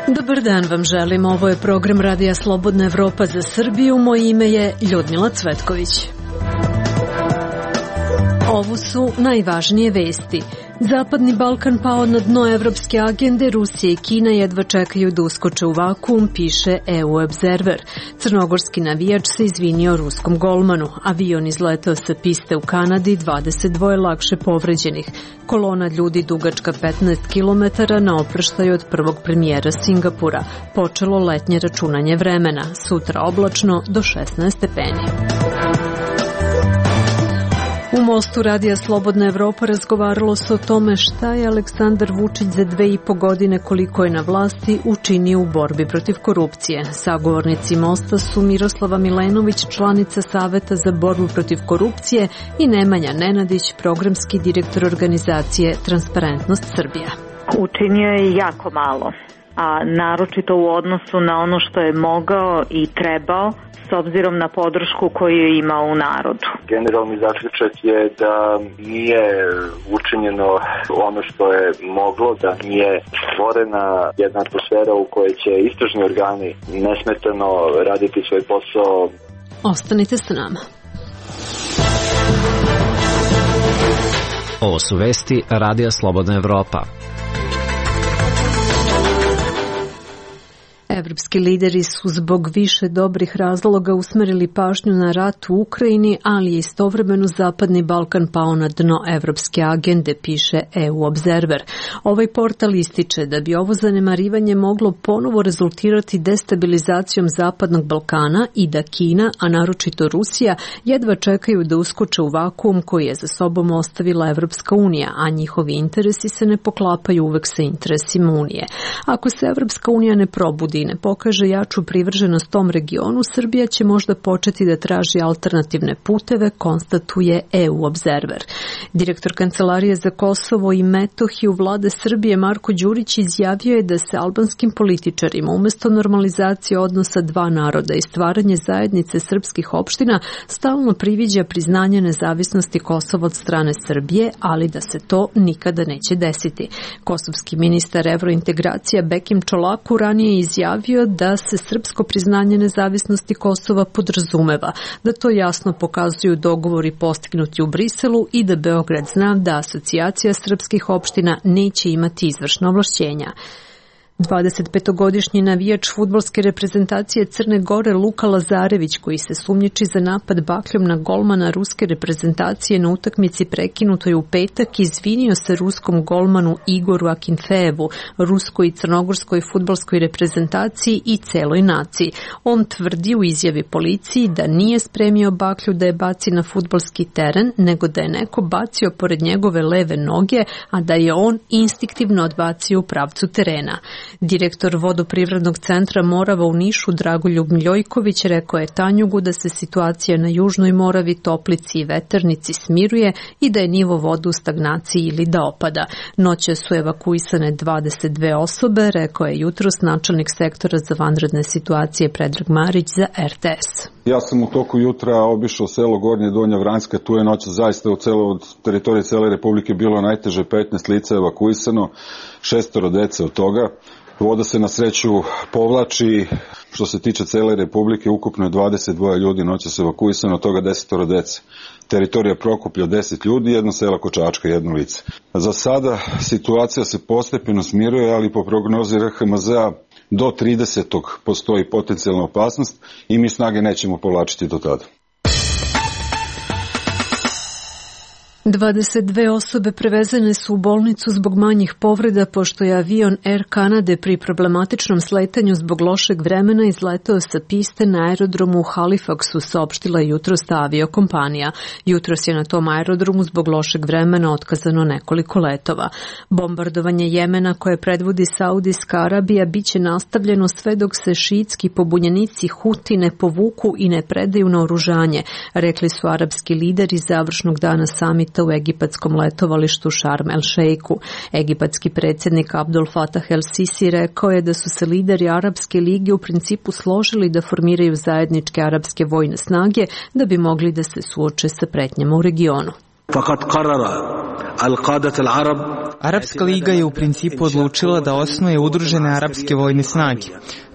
Dobar dan vam želim, ovo je program Radija Slobodna Evropa za Srbiju, moje ime je Ljudmila Cvetković. Ovo su najvažnije vesti. Zapadni Balkan pao na dno evropske agende, Rusija i Kina jedva čekaju da uskoče u vakuum, piše EU Observer. Crnogorski navijač se izvinio ruskom golmanu. Avion izletao sa piste u Kanadi, 22 lakše povređenih. Kolona ljudi dugačka 15 km na oproštaju od prvog premijera Singapura. Počelo letnje računanje vremena. Sutra oblačno do 16 stepeni. U Mostu Radija Slobodna Evropa razgovaralo se o tome šta je Aleksandar Vučić za 2,5 godine koliko je na vlasti učinio u borbi protiv korupcije. Sagovornici Mosta su Miroslava Milenović, članica Saveta za borbu protiv korupcije, i Nemanja Nenadić, programski direktor organizacije Transparentnost Srbija. Učinio je jako malo, a naročito u odnosu na ono što je mogao i trebao, s obzirom na podršku koju je imao u narodu. Generalni zaključak je da nije učinjeno ono što je moglo, da nije stvorena jedna atmosfera u kojoj će istražni organi nesmetano raditi svoj posao. Ostanite s nama. Ovo su vesti Radija Slobodna Evropa. Evropski lideri su zbog više dobrih razloga usmerili pažnju na rat u Ukrajini, ali je istovremeno Zapadni Balkan pao na dno evropske agende, piše EU Observer. Ovaj portal ističe da bi ovo zanemarivanje moglo ponovo rezultirati destabilizacijom Zapadnog Balkana i da Kina, a naročito Rusija, jedva čekaju da uskoče u vakuum koji je za sobom ostavila Evropska unija, a njihovi interesi se ne poklapaju uvek sa interesima Unije. Ako se Evropska unija ne probudi i ne pokaže jaču privrženost tom regionu, Srbija će možda početi da traži alternativne puteve, konstatuje EU Observer. Direktor Kancelarije za Kosovo i Metohiju Vlade Srbije Marko Đurić izjavio je da se albanskim političarima umesto normalizacije odnosa dva naroda i stvaranje zajednice srpskih opština stalno priviđa priznanje nezavisnosti Kosova od strane Srbije, ali da se to nikada neće desiti. Kosovski ministar evrointegracija Bekim Čolaku ranije izjavio da se srpsko priznanje nezavisnosti Kosova podrazumeva, da to jasno pokazuju dogovori postignuti u Briselu i da Beograd zna da asocijacija srpskih opština neće imati izvršna ovlašćenja. 25-godišnji navijač fudbalske reprezentacije Crne Gore Luka Lazarević, koji se sumnjiči za napad bakljom na golmana ruske reprezentacije na utakmici prekinutoj u petak, izvinio se ruskom golmanu Igoru Akinfejevu, ruskoj i crnogorskoj fudbalskoj reprezentaciji i celoj naciji. On tvrdi u izjavi policiji da nije spremio baklju da je baci na fudbalski teren, nego da je neko bacio pored njegove leve noge, a da je on instinktivno odbacio u pravcu terena. Direktor vodoprivrednog centra Morava u Nišu Dragoljub Miljojković rekao je Tanjugu da se situacija na Južnoj Moravi, Toplici i Veternici smiruje i da je nivo vode u stagnaciji ili da opada. Noće su evakuisane 22 osobe, rekao je jutros načelnik sektora za vanredne situacije Predrag Marić za RTS. Ja sam u toku jutra obišao selo Gornje Donja Vranjska, tu je noć zaista od teritorije cele Republike bilo najteže, 15 lica evakuisano, 6 dece od toga. Voda se na sreću povlači, što se tiče cele Republike, ukupno je 22 ljudi noćas evakuisano, od toga 10 dece. Teritorija Prokuplja 10 ljudi, jedno selo Kočačka, jedno lice. Za sada situacija se postepeno smiruje, ali po prognozi RHMZ-a do 30. postoji potencijalna opasnost i mi snage nećemo povlačiti do tada. 22 osobe prevezene su u bolnicu zbog manjih povreda pošto je avion Air Canade pri problematičnom sletanju zbog lošeg vremena izletao sa piste na aerodromu u Halifaxu, saopštila jutros ta aviokompanija. Jutros je na tom aerodromu zbog lošeg vremena otkazano nekoliko letova. Bombardovanje Jemena koje predvodi Saudijska Arabija biće nastavljeno sve dok se šiitski pobunjenici Huti ne povuku i ne predaju naoružanje, rekli su arapski lideri završnog dana samita marta u egipatskom letovalištu Sharm el Sheikhu. Egipatski predsjednik Abdul Fatah el Sisi rekao je da su se lideri Arapske lige u principu složili da formiraju zajedničke arapske vojne snage da bi mogli da se suoče sa pretnjama u regionu. Arapska liga je u principu odlučila da osnuje udružene arapske vojne snage.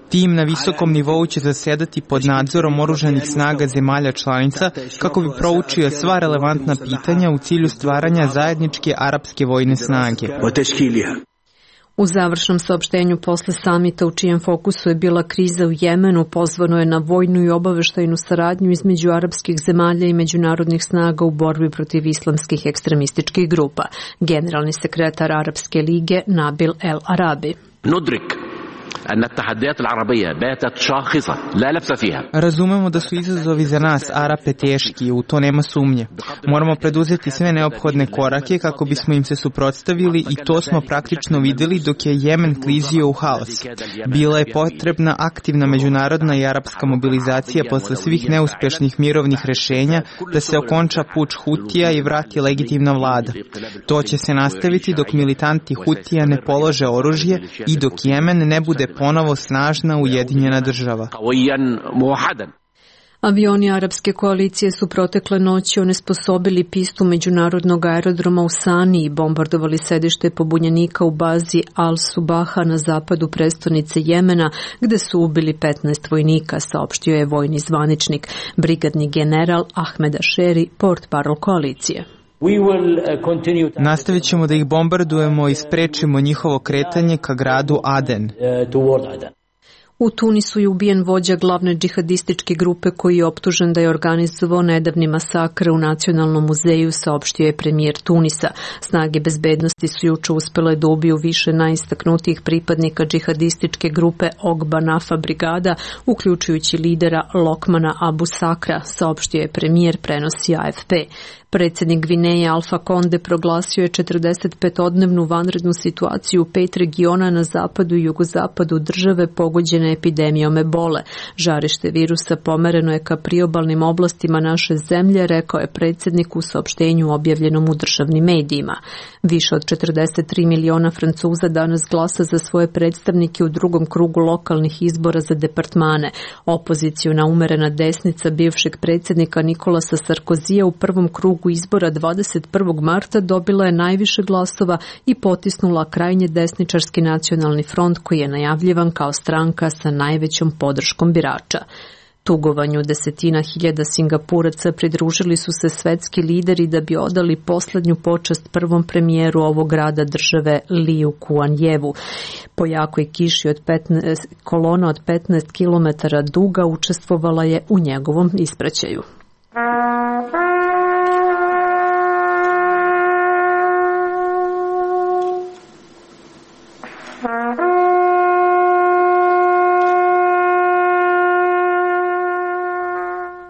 Tim na visokom nivou će zasedati pod nadzorom oružanih snaga zemalja članica kako bi proučio sva relevantna pitanja u cilju stvaranja zajedničke arapske vojne snage. U završnom saopštenju posle samita u čijem fokusu je bila kriza u Jemenu pozvano je na vojnu i obaveštajnu saradnju između arapskih zemalja i međunarodnih snaga u borbi protiv islamskih ekstremističkih grupa. Generalni sekretar Arapske lige Nabil El Arabi. Razumemo da su izazovi za nas, Arape, teški, u to nema sumnje. Moramo preduzeti sve neophodne korake kako bismo im se suprotstavili i to smo praktično videli dok je Jemen klizio u haos. Bila je potrebna aktivna međunarodna i arapska mobilizacija posle svih neuspešnih mirovnih rešenja da se okonča puč Hutija i vrati legitimna vlada. To će se nastaviti dok militanti Hutija ne polože oružje i dok Jemen ne bude ponovo snažna ujedinjena država. Avioni arapske koalicije su protekle noći onesposobili pistu međunarodnog aerodroma u Sani i bombardovali sedište pobunjenika u bazi Al-Subaha na zapadu prestonice Jemena, gde su ubili 15 vojnika, saopštio je vojni zvaničnik, brigadni general Ahmed Asheri, portparol koalicije. Nastavit ćemo da ih bombardujemo i sprečimo njihovo kretanje ka gradu Aden. U Tunisu je ubijen vođa glavne džihadističke grupe koji je optužen da je organizovao nedavni masakr u Nacionalnom muzeju, saopštio je premijer Tunisa. Snage bezbednosti su juče uspele da ubiju više najistaknutijih pripadnika džihadističke grupe Ogba Nafa brigada, uključujući lidera Lokmana Abu Sakra, saopštio je premijer, prenosi AFP. Predsjednik Gvineje Alfa Konde proglasio je 45-odnevnu vanrednu situaciju u 5 regiona na zapadu i jugozapadu države pogođene epidemijom ebole. Žarište virusa pomereno je ka priobalnim oblastima naše zemlje, rekao je predsjednik u saopštenju objavljenom u državnim medijima. Više od 43 miliona Francuza danas glasa za svoje predstavnike u drugom krugu lokalnih izbora za departmane. Opoziciona umerena desnica bivšeg predsjednika Nikolasa Sarkozija u prvom krugu izbora 21. marta dobila je najviše glasova i potisnula krajnje desničarski nacionalni front koji je najavljivan kao stranka sa najvećom podrškom birača. Tugovanju desetina hiljada Singapuraca pridružili su se svetski lideri da bi odali poslednju počast prvom premijeru ovog grada države Liu Kuan-jevu. Po jakoj kiši kolona od 15 km duga učestvovala je u njegovom ispraćaju.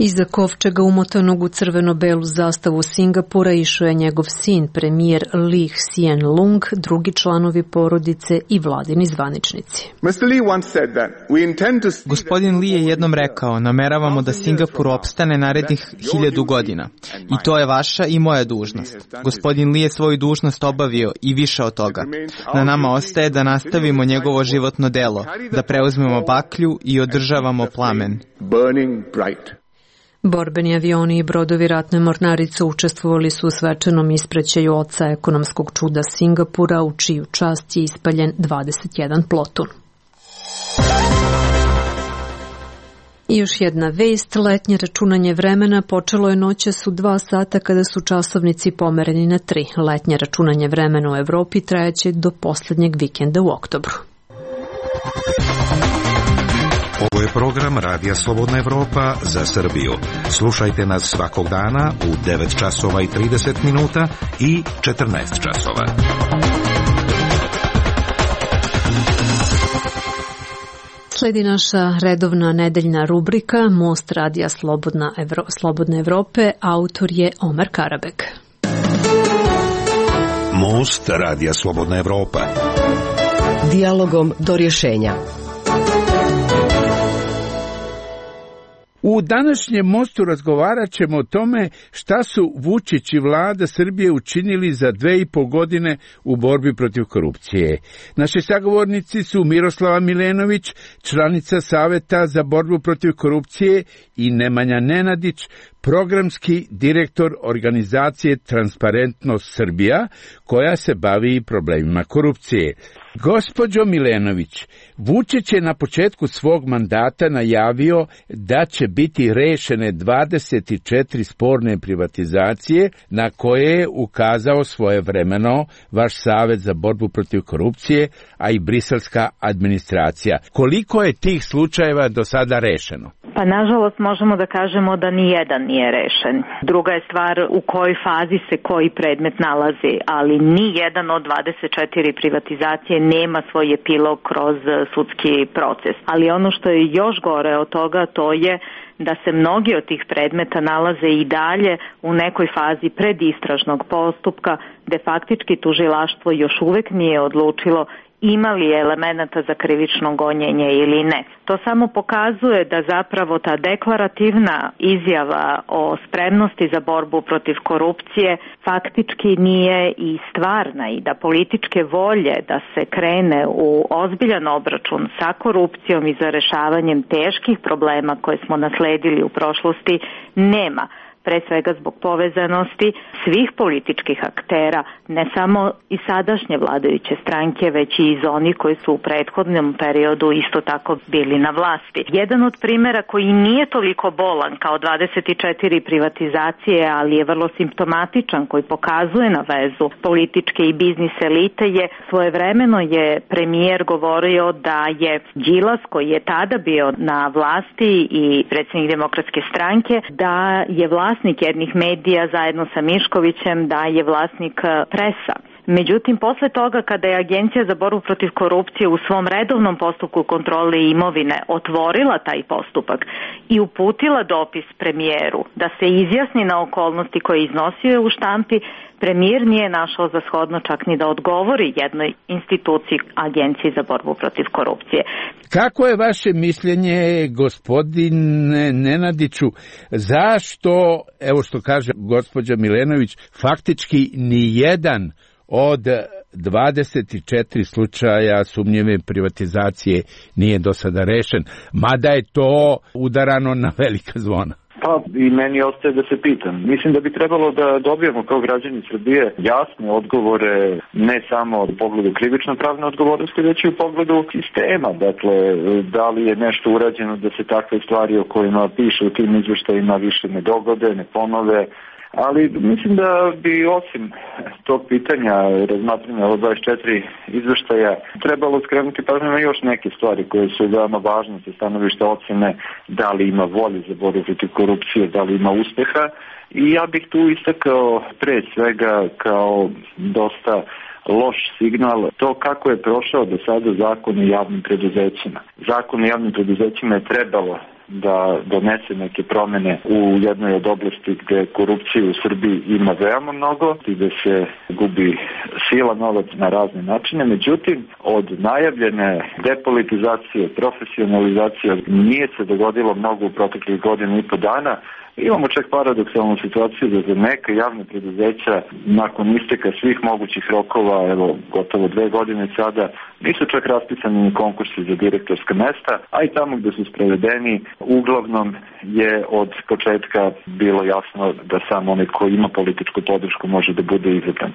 Iza kovčega umotanog u crveno-belu zastavu Singapura išao je njegov sin, premijer Lee Hsien Loong, drugi članovi porodice i vladini zvaničnici. Gospodin Lee je jednom rekao, nameravamo da Singapur opstane narednih 1000 godina. I to je vaša i moja dužnost. Gospodin Lee je svoju dužnost obavio i više od toga. Na nama ostaje da nastavimo njegovo životno delo, da preuzmemo baklju i održavamo plamen. Borbeni avioni i brodovi ratne mornarice učestvovali su u svečanom ispraćaju oca ekonomskog čuda Singapura, u čiju čast je ispaljen 21 plotun. I još jedna vest, letnje računanje vremena počelo je noćas u 2 sata kada su časovnici pomereni na 3. Letnje računanje vremena u Evropi trajaće do poslednjeg vikenda u oktobru. Ovo je program Radija Slobodna Evropa za Srbiju. Slušajte nas svakog dana u 9 časova i 30 minuta i 14 časova. Sledi naša redovna nedeljna rubrika Most Radija Slobodne Evrope, autor je Omer Karabek. Most Radija Slobodna Evropa. Dijalogom do rješenja. U U današnjem mostu razgovarat ćemo o tome šta su Vučić i vlada Srbije učinili za 2,5 godine u borbi protiv korupcije. Naši sagovornici su Miroslava Milenović, članica Saveta za borbu protiv korupcije, i Nemanja Nenadić, programski direktor organizacije Transparentnost Srbija, koja se bavi problemima korupcije. Gospođo Milenović, Vučić je na početku svog mandata najavio da će biti rešene 24 sporne privatizacije na koje je ukazao svojevremeno vaš Savet za borbu protiv korupcije, a i briselska administracija. Koliko je tih slučajeva do sada rešeno? Pa nažalost možemo da kažemo da ni jedan nije rešen. Druga je stvar u kojoj fazi se koji predmet nalazi, ali ni jedan od 24 privatizacije nema svoj epilog kroz sudski proces. Ali ono što je još gore od toga, to je da se mnogi od tih predmeta nalaze i dalje u nekoj fazi predistražnog postupka, gde faktički tužilaštvo još uvek nije odlučilo ima li elemenata za krivično gonjenje ili ne. To samo pokazuje da zapravo ta deklarativna izjava o spremnosti za borbu protiv korupcije faktički nije i stvarna i da političke volje da se krene u ozbiljan obračun sa korupcijom i za rešavanjem teških problema koje smo nasledili u prošlosti nema. Pre svega zbog povezanosti svih političkih aktera, ne samo i sadašnje vladajuće stranke, već i iz onih koji su u prethodnom periodu isto tako bili na vlasti. Jedan od primera koji nije toliko bolan kao 24 privatizacije, ali je vrlo simptomatičan, koji pokazuje na vezu političke i biznis elite, je svojevremeno je premijer govorio da je Đilas, koji je tada bio na vlasti i predsjednik Demokratske stranke, da je vlasnik jednih medija zajedno sa Miškovićem, da je vlasnik Presa. Međutim, posle toga kada je Agencija za borbu protiv korupcije u svom redovnom postupku kontrole imovine otvorila taj postupak i uputila dopis premijeru da se izjasni na okolnosti koje iznosio u štampi, premijer nije našao za shodno čak ni da odgovori jednoj instituciji Agenciji za borbu protiv korupcije. Kako je vaše mišljenje, gospodine Nenadiću, zašto, evo što kaže gospođa Milenović, faktički ni jedan od 24 slučaja sumnjive privatizacije nije do sada rešen, mada je to udarano na velika zvona? Pa i meni ostaje da se pitam. Mislim da bi trebalo da dobijemo kao građani Srbije jasne odgovore, ne samo u pogledu krivično-pravne odgovornosti, već i u pogledu sistema. Dakle, da li je nešto urađeno da se takve stvari o kojima piše u tim izveštajima više ne dogode, ne ponove. Ali mislim da bi osim tog pitanja razmatranja o 24 izveštaja trebalo skrenuti pažnju na još neke stvari koje su veoma važne sa stanovišta ocene da li ima volje za borbu protiv korupcije, da li ima uspeha. I ja bih tu istakao pre svega kao dosta loš signal to kako je prošao do sada zakon o javnim preduzećima. Zakon o javnim preduzećima je trebalo da donese neke promene u jednoj od oblasti gde korupcije u Srbiji ima veoma mnogo i da se gubi sila, novac na razne načine. Međutim, od najavljene depolitizacije, profesionalizacije nije se dogodilo mnogo u proteklih godina i po dana. Imamo čak paradoksalnu situaciju da za neka javna preduzeća nakon isteka svih mogućih rokova, evo gotovo 2 godine sada, nisu čak raspisani ni konkursi za direktorska mesta, a i tamo gde su sprovedeni, uglavnom je od početka bilo jasno da samo onaj ko ima političku podršku može da bude izabran.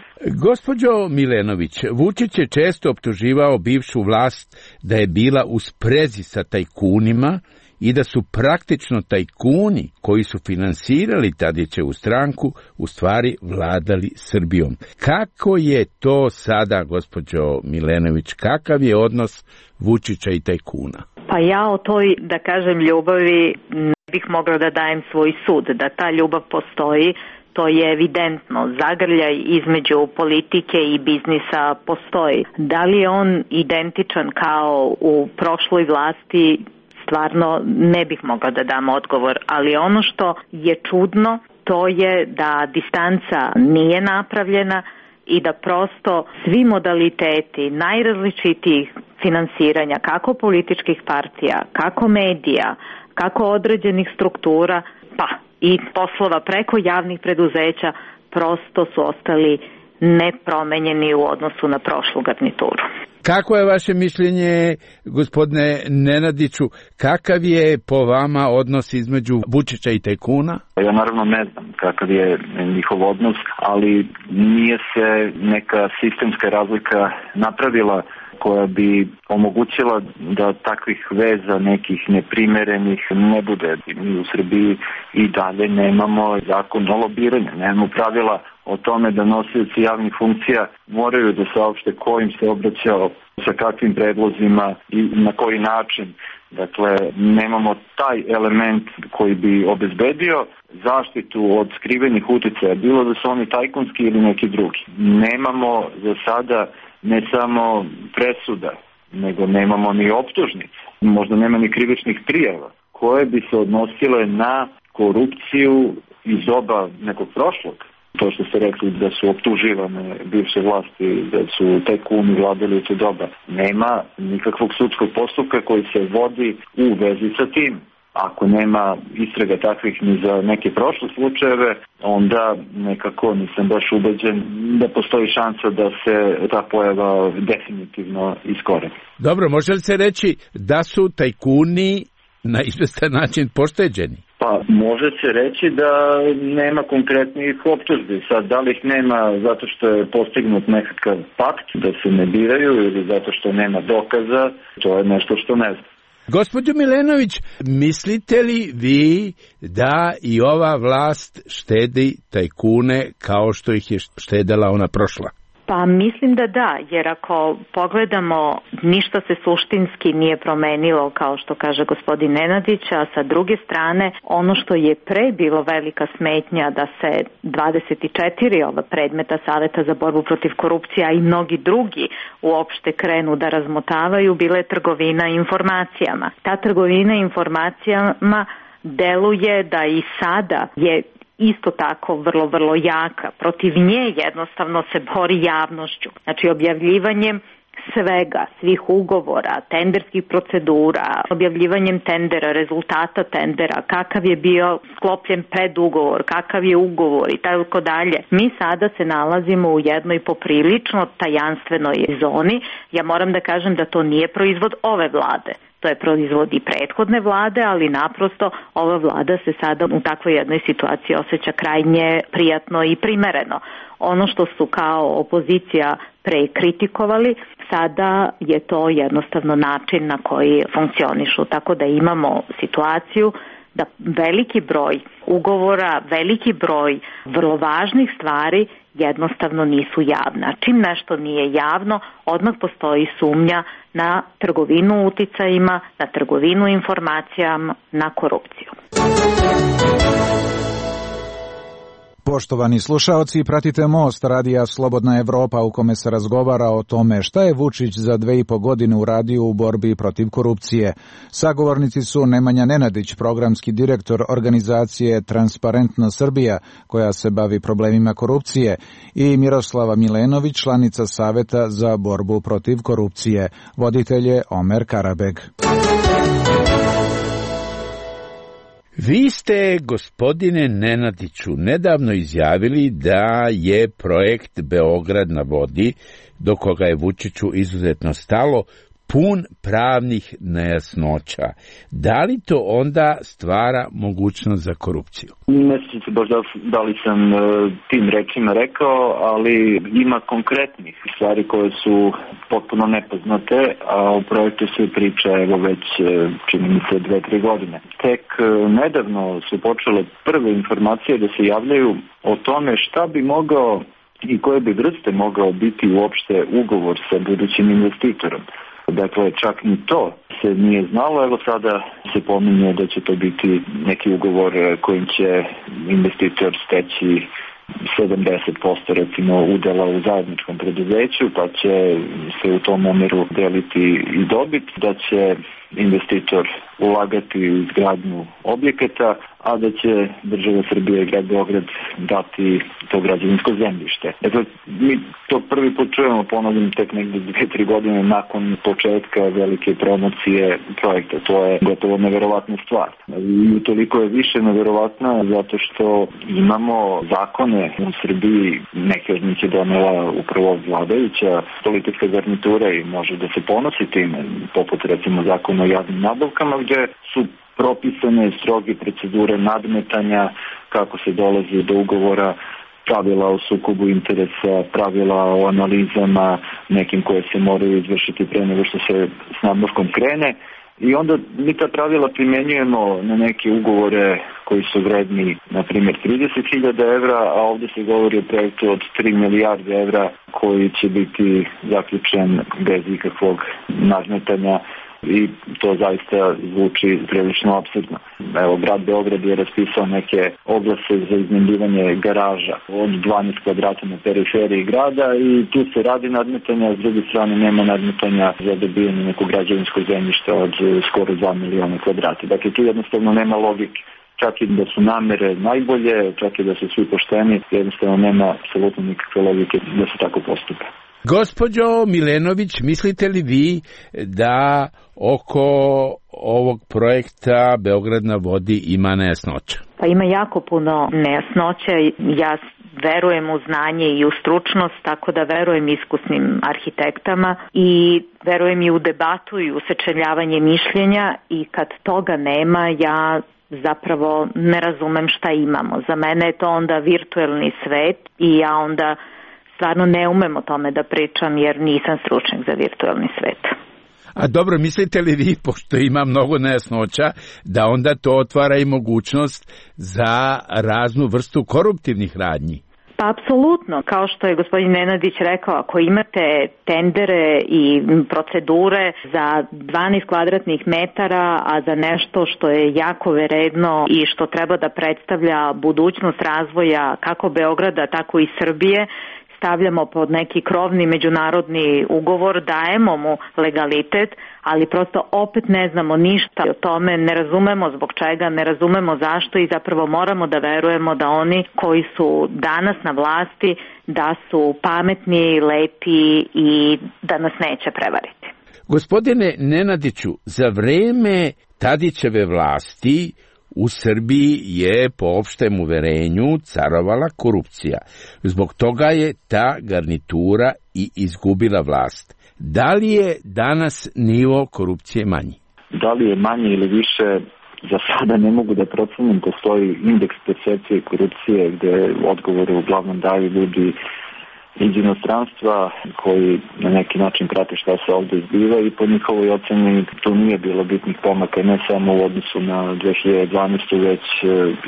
Gospođo Milenović, Vučić je često optuživao bivšu vlast da je bila u sprezi sa tajkunima i da su praktično tajkuni koji su finansirali Tadićevu stranku u stvari vladali Srbijom. Kako je to sada, gospođo Milenović, kakav je odnos Vučića i tajkuna? Pa ja o toj, da kažem, ljubavi ne bih mogla da dajem svoj sud. Da ta ljubav postoji, to je evidentno. Zagrljaj između politike i biznisa postoji. Da li je on identičan kao u prošloj vlasti, stvarno ne bih mogla da dam odgovor, ali ono što je čudno, to je da distanca nije napravljena i da prosto svi modaliteti najrazličitijih finansiranja, kako političkih partija, kako medija, kako određenih struktura, pa i poslova preko javnih preduzeća prosto su ostali nepromenjeni u odnosu na prošlu garnituru. Kako je vaše mišljenje, gospodine Nenadiću, kakav je po vama odnos između Vučića i tajkuna? Ja naravno ne znam kakav je njihov odnos, ali nije se neka sistemska razlika napravila koja bi omogućila da takvih veza nekih neprimerenih ne bude. Mi u Srbiji i dalje nemamo zakon o lobiranju, nemamo pravila o tome da nosioci javnih funkcija moraju da saopšte ko im se obraćao, sa kakvim predlozima i na koji način. Dakle, nemamo taj element koji bi obezbedio zaštitu od skrivenih uticaja, bilo da su oni tajkunski ili neki drugi. Nemamo za sada ne samo presuda, nego nemamo ni optužnice, možda nema ni krivičnih prijava koje bi se odnosile na korupciju iz doba nekog prošlog. To što ste rekli da su optuživane bivše vlasti, da su tajkuni vladali u to doba. Nema nikakvog sudskog postupka koji se vodi u vezi sa tim. Ako nema istraga takvih ni za neke prošle slučajeve, onda nekako nisam baš ubeđen da postoji šansa da se ta pojava definitivno iskoreni. Dobro, može li se reći da su tajkuni na izvestan način pošteđeni? Pa može se reći da nema konkretnih optužbi. Sad, da li ih nema zato što je postignut nekakav pakt da se ne biraju ili zato što nema dokaza, to je nešto što ne znam. Gospođo Milenović, mislite li vi da i ova vlast štedi tajkune kao što ih je štedela ona prošla? Pa mislim da, jer ako pogledamo, ništa se suštinski nije promenilo, kao što kaže gospodin Nenadić, a sa druge strane, ono što je pre bilo velika smetnja da se 24 ova predmeta Saveta za borbu protiv korupcije, a i mnogi drugi uopšte krenu da razmotavaju, bila je trgovina informacijama. Ta trgovina informacijama deluje da i sada je isto tako vrlo jaka. Protiv nje jednostavno se bori javnošću. Znači objavljivanjem svega, svih ugovora, tenderskih procedura, objavljivanjem tendera, rezultata tendera, kakav je bio sklopljen predugovor, kakav je ugovor i tako dalje. Mi sada se nalazimo u jednoj poprilično tajanstvenoj zoni. Ja moram da kažem da to nije proizvod ove vlade. To je proizvod i prethodne vlade, ali naprosto ova vlada se sada u takvoj jednoj situaciji osjeća krajnje prijatno i primereno. Ono što su kao opozicija pre kritikovali, sada je to jednostavno način na koji funkcionišu. Tako da imamo situaciju da veliki broj ugovora, veliki broj vrlo važnih stvari jednostavno nisu javna. Čim nešto nije javno, odmah postoji sumnja na trgovinu uticajima, na trgovinu informacijama, na korupciju. Poštovani slušaoci, pratite Most radija Slobodna Evropa u kome se razgovara o tome šta je Vučić za 2,5 godine uradio u borbi protiv korupcije. Sagovornici su Nemanja Nenadić, programski direktor organizacije Transparentna Srbija, koja se bavi problemima korupcije, i Miroslava Milenović, članica Saveta za borbu protiv korupcije. Voditelj je Omer Karabeg. Vi ste, gospodine Nenadiću, nedavno izjavili da je projekt Beograd na vodi, do koga je Vučiću izuzetno stalo, pun pravnih nejasnoća. Da li to onda stvara mogućnost za korupciju? Ne sjećam se baš da li sam tim rečima rekao, ali ima konkretnih stvari koje su potpuno nepoznate, a o projektu se priča evo već čini mi se 2-3 godine. Tek nedavno su počele prve informacije da se javljaju o tome šta bi mogao i koje bi vrste mogao biti uopšte ugovor sa budućim investitorom. Dakle, čak ni to se nije znalo, evo sada se pominje da će to biti neki ugovor kojim će investitor steći 70% recimo udela u zajedničkom preduzeću, pa će se u tom omjeru deliti i dobit, da će investitor ulagati u izgradnju objekata, a da će država Srbije i grad Beograd dati to građevinsko zemljište. Dakle, mi to prvi put čujemo, ponavljam, tek negdje 2-3 godine nakon početka velike promocije projekta. To je gotovo neverovatna stvar. I toliko je više neverovatna zato što imamo zakone u Srbiji, neke od njih je donela upravo vladajuća politička garnitura i može da se ponosi time, poput recimo zakona o javnim nabavkama, gdje su propisane stroge procedure nadmetanja, kako se dolazi do ugovora, pravila o sukobu interesa, pravila o analizama nekim koje se moraju izvršiti pre nego što se s nabavkom krene. I onda mi ta pravila primjenjujemo na neke ugovore koji su vredni, na primjer, 30.000 evra, a ovdje se govori o projektu od 3 milijarde evra koji će biti zaključen bez ikakvog nadmetanja. I to zaista zvuči prilično apsurdno. Evo, grad Beograd je raspisao neke oglase za iznajmljivanje garaža od 12 kvadrata na periferiji grada i tu se radi nadmetanja, a s druge strane nema nadmetanja za dobijanje nekog građevinskog zemljišta od skoro 2 miliona kvadrata. Dakle, tu jednostavno nema logike. Čak i da su namere najbolje, čak i da su svi pošteni, jednostavno nema apsolutno nikakve logike da se tako postupa. Gospođo Milenović, mislite li vi da oko ovog projekta Beograd na vodi ima nejasnoća? Pa ima jako puno nejasnoća. Ja verujem u znanje i u stručnost, tako da verujem iskusnim arhitektama i verujem i u debatu i u sečeljavanje mišljenja i kad toga nema, ja zapravo ne razumem šta imamo. Za mene je to onda virtuelni svet i ja onda stvarno ne umem o tome da pričam jer nisam stručnjak za virtuelni svet. A dobro, mislite li vi, pošto ima mnogo nejasnoća, da onda to otvara i mogućnost za raznu vrstu koruptivnih radnji? Pa apsolutno, kao što je gospodin Nenadić rekao, ako imate tendere i procedure za 12 kvadratnih metara, a za nešto što je jako vredno i što treba da predstavlja budućnost razvoja kako Beograda, tako i Srbije, stavljamo pod neki krovni međunarodni ugovor, dajemo mu legalitet, ali prosto opet ne znamo ništa o tome, ne razumemo zbog čega, ne razumemo zašto i zapravo moramo da verujemo da oni koji su danas na vlasti, da su pametni, lepi i da nas neće prevariti. Gospodine Nenadiću, za vreme Tadićeve vlasti u Srbiji je po opštem uverenju carovala korupcija. Zbog toga je ta garnitura i izgubila vlast. Da li je danas nivo korupcije manji? Da li je manje ili više, za sada ne mogu da procenim. Postoji indeks percepcije korupcije gde odgovore uglavnom daju ljudi iz inostranstva koji na neki način prate šta se ovdje zbiva i po njihovoj oceni tu nije bilo bitnih pomaka, ne samo u odnosu na 2012. već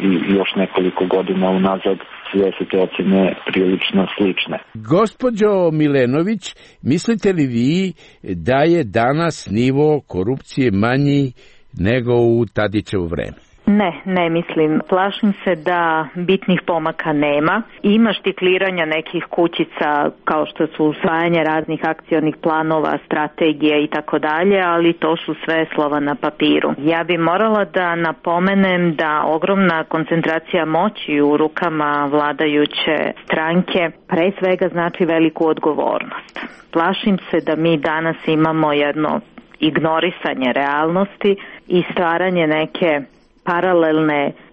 i još nekoliko godina unazad. Sve su te ocene prilično slične. Gospođo Milenović, mislite li vi da je danas nivo korupcije manji nego u Tadićevo vreme? Ne mislim. Plašim se da bitnih pomaka nema. Ima štikliranja nekih kućica kao što su usvajanje raznih akcionih planova, strategije i tako dalje, ali to su sve slova na papiru. Ja bi morala da napomenem da ogromna koncentracija moći u rukama vladajuće stranke pre svega znači veliku odgovornost. Plašim se da mi danas imamo jedno ignorisanje realnosti i stvaranje neke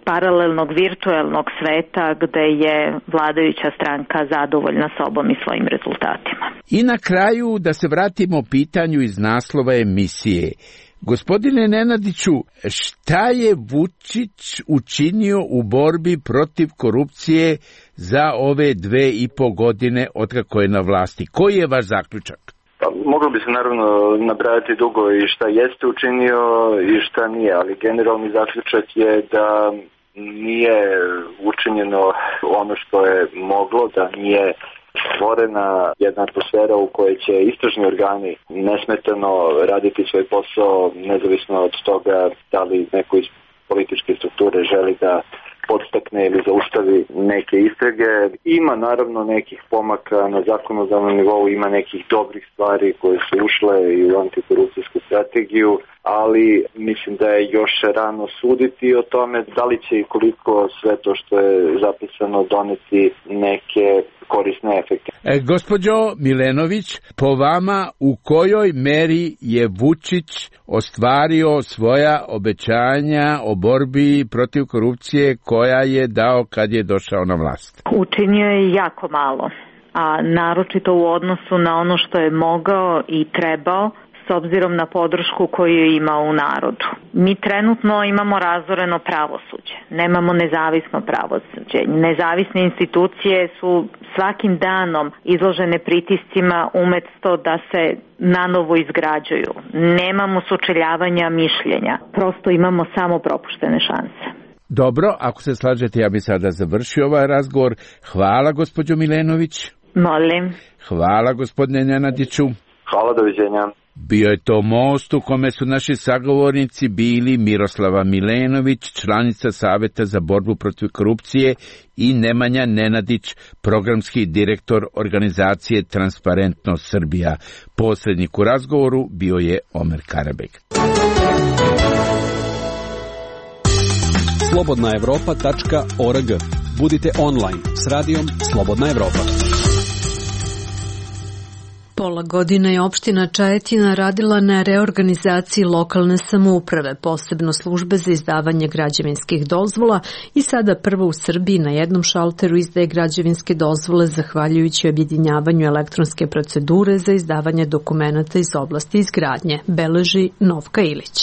paralelnog virtuelnog sveta gde je vladajuća stranka zadovoljna sobom i svojim rezultatima. I na kraju da se vratimo pitanju iz naslova emisije. Gospodine Nenadiću, šta je Vučić učinio u borbi protiv korupcije za ove 2,5 godine otkako je na vlasti? Koji je vaš zaključak? Moglo bi se naravno nabrajati dugo i šta jeste učinio i šta nije, ali generalni zaključak je da nije učinjeno ono što je moglo, da nije stvorena jedna atmosfera u kojoj će istražni organi nesmetano raditi svoj posao, nezavisno od toga da li neko iz političke strukture želi da podstakne ili zaustavi neke istrage. Ima naravno nekih pomaka na zakonodavnom nivou, ima nekih dobrih stvari koje su ušle i u antikorupcijsku strategiju, ali mislim da je još rano suditi o tome da li će i koliko sve to što je zapisano doneti neke korisne efekte. Gospođo Milenović, po vama u kojoj meri je Vučić ostvario svoja obećanja o borbi protiv korupcije koja je dao kad je došao na vlast? Učinio je jako malo, a naročito u odnosu na ono što je mogao i trebao s obzirom na podršku koju je imao u narodu. Mi trenutno imamo razoreno pravosuđe, nemamo nezavisno pravosuđe. Nezavisne institucije su svakim danom izložene pritiscima umjesto da se nanovo izgrađuju. Nemamo sučeljavanja mišljenja, prosto imamo samo propuštene šanse. Dobro, ako se slažete, ja bih sada završio ovaj razgovor. Hvala, gospođo Milenović. Molim. Hvala, gospodine Nenadiću. Hvala, doviđenja. Bio je to most u kome su naši sagovornici bili Miroslava Milenović, članica Saveta za borbu protiv korupcije, i Nemanja Nenadić, programski direktor organizacije Transparentnost Srbija. Posrednik u razgovoru bio je Omer Karabek. slobodnaevropa.org. Budite online s radijom Slobodna Evropa. Pola godine je opština Čajetina radila na reorganizaciji lokalne samouprave, posebno službe za izdavanje građevinskih dozvola, i sada prvo u Srbiji na jednom šalteru izdaje građevinske dozvole zahvaljujući objedinjavanju elektronske procedure za izdavanje dokumenata iz oblasti izgradnje, beleži Novka Ilić.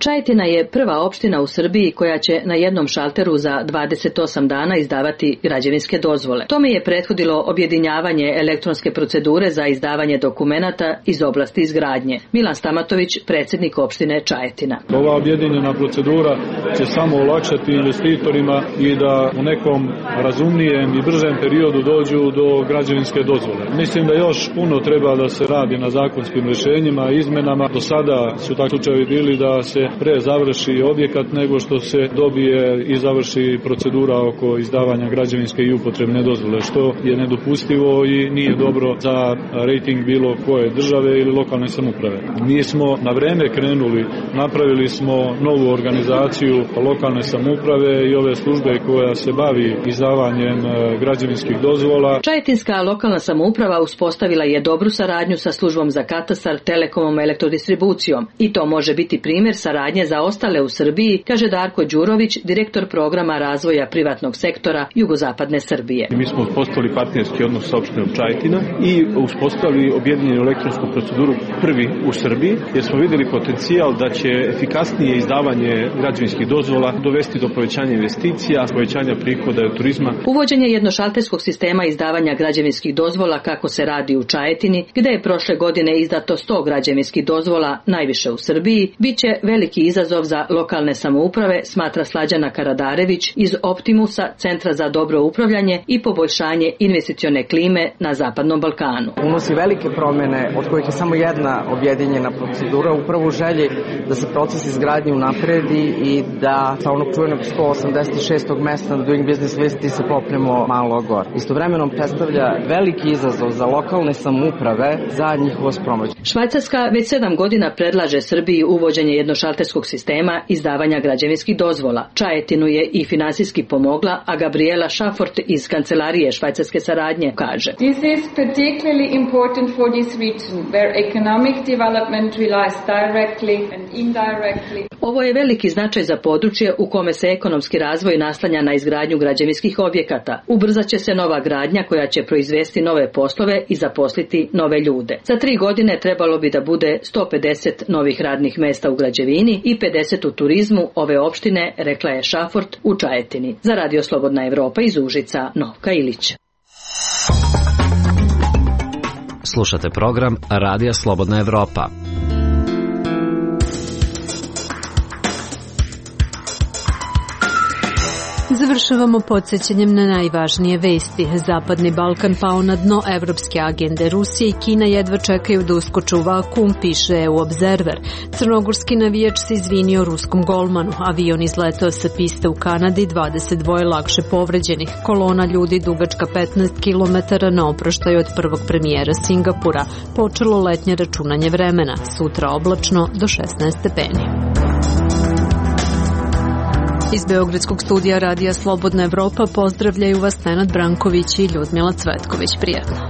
Čajetina je prva opština u Srbiji koja će na jednom šalteru za 28 dana izdavati građevinske dozvole. Tome je prethodilo objedinjavanje elektronske procedure za izdavanje dokumenata iz oblasti izgradnje. Milan Stamatović, predsjednik opštine Čajetina. Ova objedinjena procedura će samo olakšati investitorima i da u nekom razumnijem i bržem periodu dođu do građevinske dozvole. Mislim da još puno treba da se radi na zakonskim rješenjima i izmenama. Do sada su takvi slučajevi bili da se pre završi objekat nego što se dobije i završi procedura oko izdavanja građevinske i upotrebne dozvole, što je nedopustivo i nije dobro za rejting bilo koje države ili lokalne samouprave. Mi smo na vreme krenuli, napravili smo novu organizaciju lokalne samouprave i ove službe koja se bavi izdavanjem građevinskih dozvola. Čajetinska lokalna samouprava uspostavila je dobru saradnju sa službom za katastar, telekomom, elektrodistribucijom, i to može biti primjer saradnje za ostale u Srbiji, kaže Darko Đurović, direktor programa razvoja privatnog sektora jugozapadne Srbije. Mi smo uspostavili partnerski odnos sa opštinom Čajetina i uspostavili objedinjenu elektronsku proceduru prvi u Srbiji, jer smo vidjeli potencijal da će efikasnije izdavanje građevinskih dozvola dovesti do povećanja investicija, povećanja prihoda od turizma. Uvođenje jednošalterskog sistema izdavanja građevinskih dozvola, kako se radi u Čajetini, gde je prošle godine izdato 100 građevinskih dozvola, najviše u Srbiji, biće veliki izazov za lokalne samouprave, smatra Slađana Karadarević iz Optimusa, Centra za dobro upravljanje i poboljšanje investicione klime na Zapadnom Balkanu. Unosi velike promjene, od kojih je samo jedna objedinjena procedura, upravo u želji da se proces izgradnje unapredi i da sa onog čuvenog 186. mesta na Doing Business listi se popnemo malo gore. Istovremeno predstavlja veliki izazov za lokalne samouprave za njihovo sprovođenje. Švajcarska već 7 godina predlaže Srbiji uvođenje jednošalterskog sistema izdavanja građevinskih dozvola. Čajetinu je i finansijski pomogla, a Gabriela Šafort iz kancelarije švajcarske saradnje kaže: This is particularly important for this region where economic development relies directly and indirectly. Ovo je veliki značaj za područje u kome se ekonomski razvoj naslanja na izgradnju građevinskih objekata. Ubrzat će se nova gradnja koja će proizvesti nove poslove i zaposliti nove ljude. Za 3 godine trebalo bi da bude 150 novih radnih mesta u građevini i 50 u turizmu ove opštine, rekla je Šafort u Čajetini. Za Radio Slobodna Evropa iz Užica, Novka Ilić. Slušate program Radija Slobodna Evropa. Završavamo podsjećanjem na najvažnije vesti. Zapadni Balkan pao na dno evropske agende. Rusija i Kina jedva čekaju da uskoče u vakuum, piše EU Observer. Crnogorski navijač se izvinio ruskom golmanu. Avion izletao sa piste u Kanadi, 22 lakše povređenih. Kolona ljudi dugačka 15 km na oproštaj od prvog premijera Singapura. Počelo letnje računanje vremena. Sutra oblačno do 16 stepeni. Iz Beogradskog studija Radija Slobodna Evropa pozdravljaju vas Nenad Branković i Ljudmila Cvetković. Prijatno.